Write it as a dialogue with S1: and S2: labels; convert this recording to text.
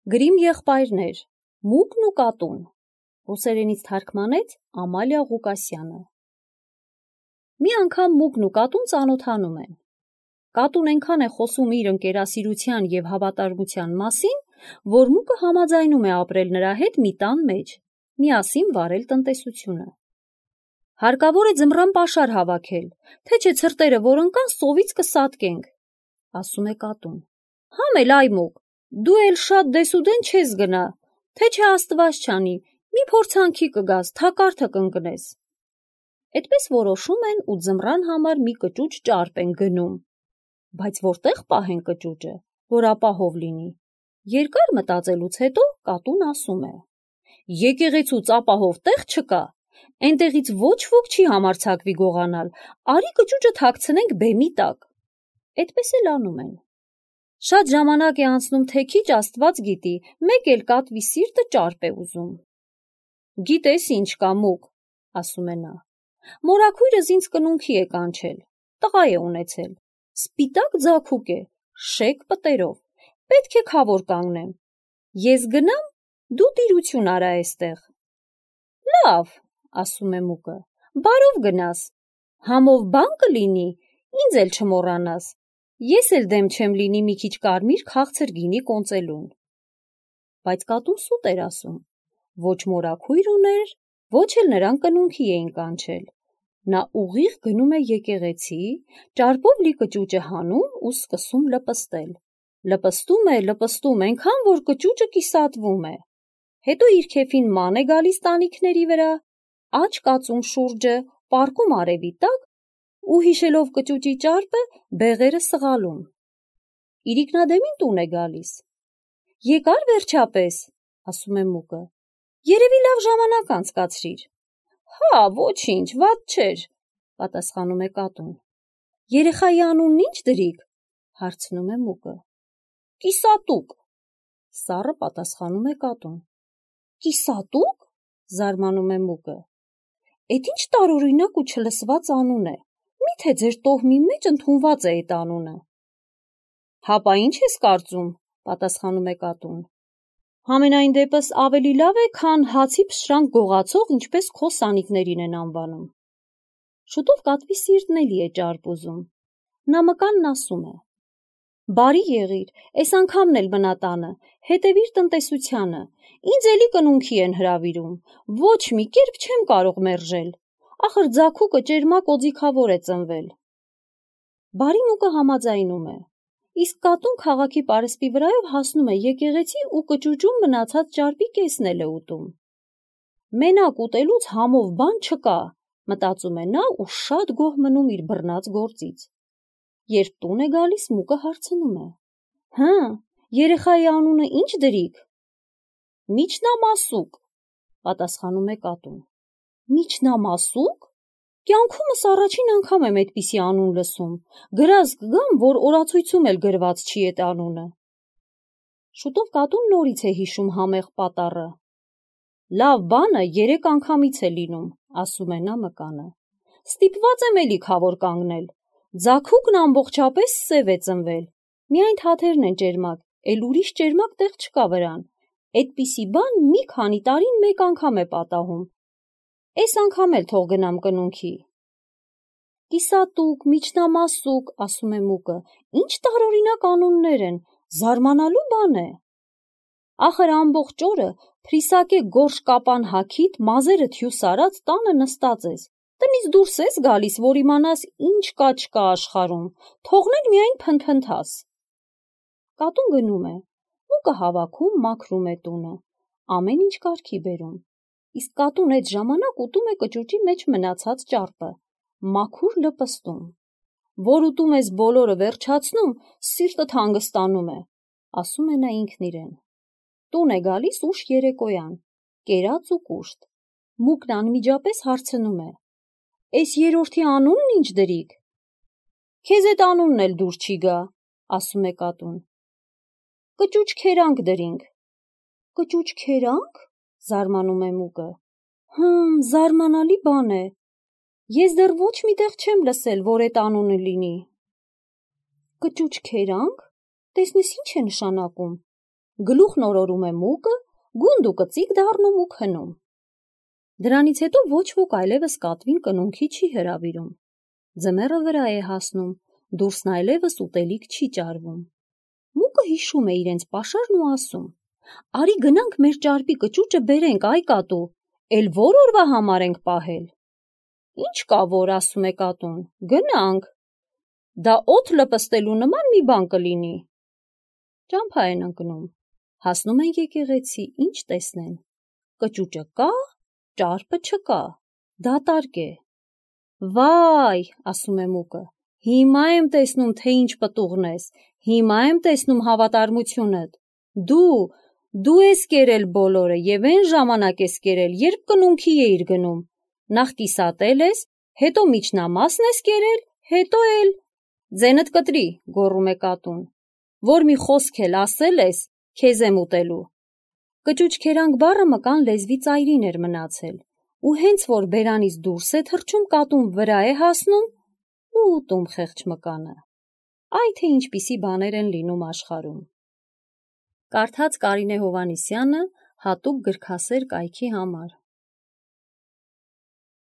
S1: Գրիմ եղբայրներ, Մուկն ու կատուն, ռուսերենից թարգմանեց Ամալիա Ղուկասյանը։ Մի անգամ Մուկն ու կատուն ծանոթանում են։ Կատուն այնքան է խոսում իր ընկերասիրության և հավատարմության մասին, որ Մուկը համաձայնում է ապրել նրա հետ մի տան մեջ, միասին վարել տնտեսությունը։ Հարկավոր է ձմռան պաշար հավաքել, թե չէ ցրտերը, որ ընկան, սովից կսատկենք, ասում է կատուն։ Համ էլ այ Մուկ, դու էլ շատ դեսուդեն չես գնա, թե չէ Աստված չանի, մի փորձանքի կգաս, թակարդը կընկնես։ Էդպես որոշում են ու ձմռան համար մի կճուճ ճարպ են գնում։ Բայց որտեղ պահեն կճուճը, որ ապահով լինի։ Երկար մտածելուց հետո կատուն ասում է. Եկեղեցուց ապահով տեղ չկա, այնտեղից ոչ ոք չի համարձակվի գողանալ, արի կճուճը թաքցնենք բեմի տակ։ Էդպես էլ անում են։ Շատ ժամանակ է անցնում, թե քիչ Աստված գիտի, մեկ էլ կատվի սիրտը ճարպ է ուզում։ Գիտես ինչ կա Մուկ, ասում է նա։ Մորաքույրս ինձ կնունքի է կանչել, տղա է ունեցել, սպիտակ ձագուկ է, շեկ պտերով, պետք է քավոր կանգնեմ։ Ես գնամ, դու տիրություն արա էստեղ։ Լավ, ասում է Մուկը, բարով գնաս, համով բան կլինի, ինձ էլ չմոռանաս, ես էլ դեմ չեմ լինի մի քիչ կարմիր քաղցր գինի կոնծելուն։ Բայց կատուն սուտ էր ասում, ոչ մորաքույր ուներ, ոչ էլ նրան կնունքի էին կանչել։ Նա ուղիղ գնում է եկեղեցի, ճարպով լի կճուճը հանում ու սկսում լպստել։ Լպստում է, այնքան, որ կճուճը կիսատվում է։ Հետո իր քեֆին ման է գալիս տանիքների վրա, աջ կածում շուրջը, պառկում արևի տակ ու հիշելով կճուճի ճարպը, բեղերը սղալում։ Իրիկնադեմին տուն է գալիս։ Եկար վերջապես, ասում է Մուկը, երևի լավ ժամանակ անցկացրիր։ Հա, ոչինչ, վատ չէր, պատասխանում է կատուն։ Երեխայի անունն ինչ դրիք, հարցնում է Մուկը։ Կիսատուկ, սառը պատասխանում է կատուն։ Կիսատուկ, զարմանում է Մուկը։ Էդ ինչ տարօրինակ ու չլսված անուն է, միթե ձեր տոհմի մեջ ընդունված է այդ անունը։ Հապա ինչ ես կարծում, պատասխանում է կատուն։ Համենայն դեպս ավելի լավ է, քան հացի փշրանք գողացող, ինչպես քո սանիկներին են անվանում։ Շուտով կատվի սիրտն էլի է ճարպ ուզում։ Նա մկանն ասում է. Բարի եղիր, այս անգամն էլ մնա տանը, հետևիր տնտեսությանը, ինձ էլի կնունքի են հրավիրում, ոչ մի կերպ չեմ կարող մերժել, ախր ձագուկը ճերմակ օձիքավոր է ծնվել։ Բարի Մուկը համաձայնում է, իսկ կատուն քաղաքի պարսպի վրայով հասնում է եկեղեցի ու կճուճում մնացած ճարպի կեսն էլ է ուտում։ Մենակ ուտելուց համով բան չկա, մտածում է նա ու շատ գոհ մնում իր բռնած գործից։ Երբ տուն է գալիս, Մուկը հարցնում է. Հը, երեխայի անունը ինչ դրիք։ Միչնամասուկ, պատասխանում է կատուն։ Միչնամասուկ։ Կյանքումս առաջին անգամ եմ այդպիսի անուն լսում, գրած կգամ, որ օրացույցում էլ գրված չի այդ անունը։ Շուտով կատուն նորից է հիշում համեղ պատառը։ Լավ բանը 3 անգամից է լինում, ասում է նա մկանը։ Ստիպված եմ էլի քավոր կանգնել։ Ձագուկն ամբողջապես սև է ծնվել, միայն թաթերն են ճերմակ, էլ ուրիշ ճերմակ տեղ չկա վրան, այդպիսի բան մի քանի տարին մեկ անգամ է պատահում, այս անգամ էլ թող գնամ կնունքի։ Կիսատուկ, միչնամասուկ, ասում է Մուկը, ինչ տարօրինակ անուններ են, զարմանալու բան է։ Ախր ամբողջ օրը փրիսակե գորշ կապան հագիդ, մազերը թյուս արած տանը նստած ես, տնից դուրս ես գալիս, որ իմանաս ինչ կա չկա աշխարհում, թողնել միայն փնթփնթաս։ Կատուն գնում է, Մուկը հավաքում, մաքրում է տունը, ամեն ինչ կարգի բերում, իսկ կատուն այդ ժամանակ ուտում է կճուճի մեջ մնացած ճարպը, մաքուր լպստում։ Որ ուտում ես բոլորը վերջացնում, սիրտդ հանգստանում է, ասում է նա ինքն իրեն։ Տուն է գալիս ուշ երեկոյան, կերած ու կուշտ։ Մուկն անմիջապես հարցնում է. Էս երրորդի անունն ինչ դրիք։ Քեզ այդ անունն էլ դուր չի գա, ասում է կատուն։ Կճուճ քերանք դրինք։ Կճուճ քերանք, զարմանում է Մուկը։ Զարմանալի բան է։ Ես դեռ ոչ մի տեղ չեմ լսել, որ այդ անունը լինի։ Կճուճ քերանք, տեսնես ինչ է նշանակում։ գլուխն օրորում է մուկը, գունդը կծիկ դառնում ու քնում։ Դրանից հետո ոչ ոք այլևս կատվին կնունքի չի հրավիրում։ Ձմեռը վրա է հասնում, դուրսն այլևս ուտելիք չի ճարվում։ Մուկը հիշում է իրենց պաշարն ու ասում. «Արի գնանք մեր ճարպի կճուճը բերենք, այ կատու, էլ որ օրվա համար ենք պահել»։ «Ինչ կա որ», ասում է կատուն, «գնանք»։ «Դա օդ լպստելու նման մի բան կլինի»։ Ճամփա են ընկնում, հասնում են եկեղեցի, ինչ տեսնեն։ Կճուճը կա, ճարպը չկա, դատարկ է։ «Վայ», ասում է մուկը, «հիմա եմ տեսնում, թե ինչ պտուղն ես, հիմա եմ տեսնում հավատարմությունդ։ Դու ես կերել բոլորը և այն ժամանակ ես կերել, երբ կնունքի էիր գնում։ Նախ կիսատել ես, հետո միջնամասն ես կերել, հետո էլ…» «Ձենդ կտրի», գոռում է կատուն, «որ մի խոսք էլ ասել ես, քեզ եմ ուտելու»։ Կճուճքերանք բառը մկան լեզվի ծայրին էր մնացել, ու հենց որ բերանից դուրս է թռչում, կատուն վրա է հասնում ու ուտում խեղճ մկանը։ Այ թե ինչպիսի բաներ են լինում աշխարհում։ Կարդաց Կարինե Հովհաննիսյանը հատուկ գրքասեր կայքի համար։